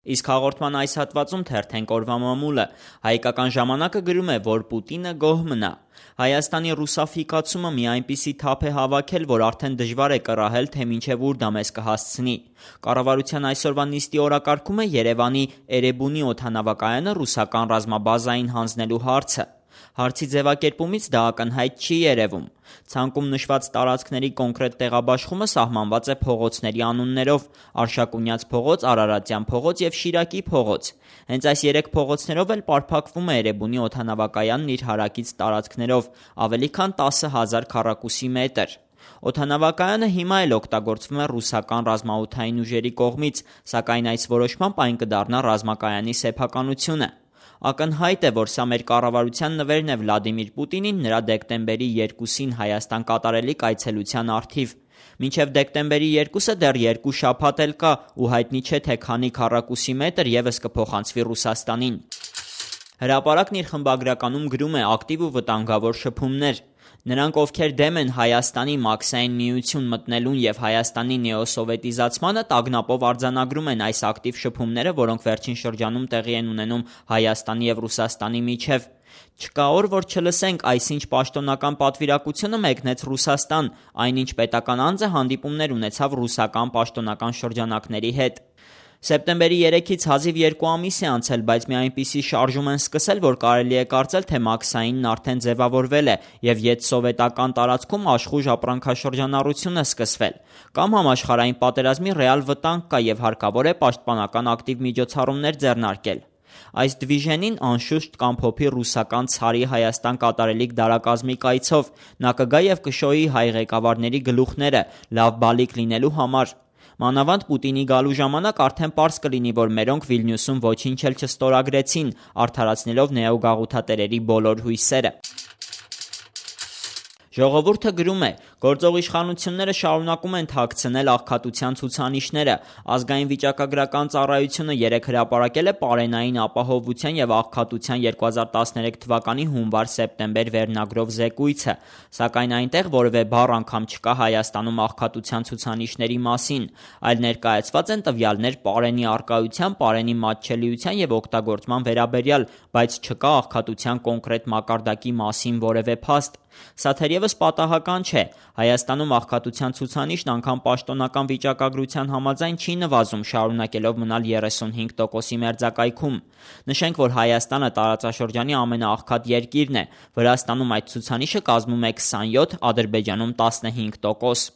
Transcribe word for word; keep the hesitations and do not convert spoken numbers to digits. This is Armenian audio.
Իսկ հաղորդման այս հատվածում թերթենք օրվա մամուլը։ Հայկական ժամանակը գրում է, որ Պուտինը գոհ մնա։ Հայաստանի ռուսաֆիկացումը մի այնպիսի թափ է հավաքել, որ արդեն դժվար է կռահել, թե մինչև ուր դա մեզ կհասցնի։ Կառավարության այսօրվա նիստի օրակարգում է Երևանի Էրեբունի օդանավակայանը ռուսական ռազմաբազային հանձնելու հարցը։ Հարցի ձևակերպումից դա ակնհայտ չի երևում։ Ցանկում նշված տարածքների կոնկրետ տեղաբաշխումը սահմանված է փողոցների անուններով՝ Արշակունյաց փողոց, Արարատյան փողոց և Շիրակի փողոց։ Հենց այս երեք փողոցներով էլ պարփակվում է Էրեբունի օդանավակայանն իր հարակից տարածքներով՝ ավելի քան տասը հազար քառակուսի մետր։ Օդանավակայանը հիմա էլ օգտագործվում է ռուսական ռազմաօդային ուժերի կողմից, սակայն այս որոշմամբ այն կդառնա ռազմակայանի սեփականությունը։ Ակնհայտ է, որ սա մեր կառավարության նվերն է Վլադիմիր Պուտինին նրա դեկտեմբերի երկուսին Հայաստան կատարելիք այցելության առթիվ։ Մինչև դեկտեմբերի երկուսը դեռ երկու շաբաթ էլ կա ու հայտնի չէ, թե քանի քառակուսի մետր ևս կփոխանցվի Ռուսաստանին։ Հրապարակն իր խմբագրականում գրում է ակտիվ ու վտանգավոր շփումներ։ Նրանք, ովքեր դեմ են Հայաստանի Մաքսային միություն մտնելուն և Հայաստանի նեոսովետիզացմանը, տագնապով արձանագրում են այս ակտիվ շփումները, որոնք վերջին շրջանում տեղի են ունենում Հայաստանի և Ռուսաստանի միջև։ Չկա օր, որ չլսենք այսինչ պաշտոնական պատվիրակությունը մեկնեց Ռուսաստան, այնինչ պետական անձը հանդիպումներ ունեցավ ռուսական պաշտոնական շրջանակների հետ։ Սեպտեմբերի երեքից հազիվ երկու ամիս է անցել, բայց մի այնպիսի շարժում են սկսել, որ կարելի է կարծել, թե Մաքսայինն արդեն ձևավորվել է և յետսովետական տարածքում աշխույժ ապրանքաշրջանառություն է սկսվել։ Կամ համաշխարհային պատերազմի ռեալ վտանգ կա և հարկավոր է պաշտպանական ակտիվ միջոցառումներ ձեռնարկել։ Այս դվիժենին անշուշտ կամփոփի ռուսական ցարի Հայաստան կատարելիք դարակազմի կայցով։ Նա կգա և կշոյի հայ ղեկավարների գլուխները՝ լավ բալիկ լինելու համար։ Մանավանդ Պուտինի գալու ժամանակ արդեն պարզ կլինի, որ մերոնք Վիլնյուսում ոչինչ էլ չստորագրեցին՝ արդարացնելով նեոգաղութատերերի բոլոր հույսերը։ Ժողովուրդը գրում է. գործող իշխանությունները շարունակում են թաքցնել աղքատության ցուցանիշները։ Ազգային վիճակագրական ծառայությունը երեկ հրապարակել է պարենային ապահովության և աղքատության երկու հազար տասներեք թվականի հունվար-սեպտեմբեր վերնագրով զեկույցը, սակայն այնտեղ որևէ բառ անգամ չկա Հայաստանում աղքատության ցուցանիշների մասին, այլ ներկայացված են տվյալներ պարենի առկայության, պարենի մատչելիության և օգտագործման վերաբերյալ, բայց չկա աղքատության կոնկրետ մակարդակի մասին որևէ փաստ։ Սա թերևս պատահական չէ։ Հայաստանում աղքատության ցուցանիշն անգամ պաշտոնական վիճակագրության համաձայն չի նվազում, շարունակելով մնալ երեսունհինգ տոկոսի մերձակայքում։ Նշենք, որ Հայաստանը տարածաշրջանի ամենաաղքատ երկիրն է։ Վրաստանում այդ ցուցանիշը կազմում է քսանյոթ, Ադրբեջանում տասնհինգ տոկոս։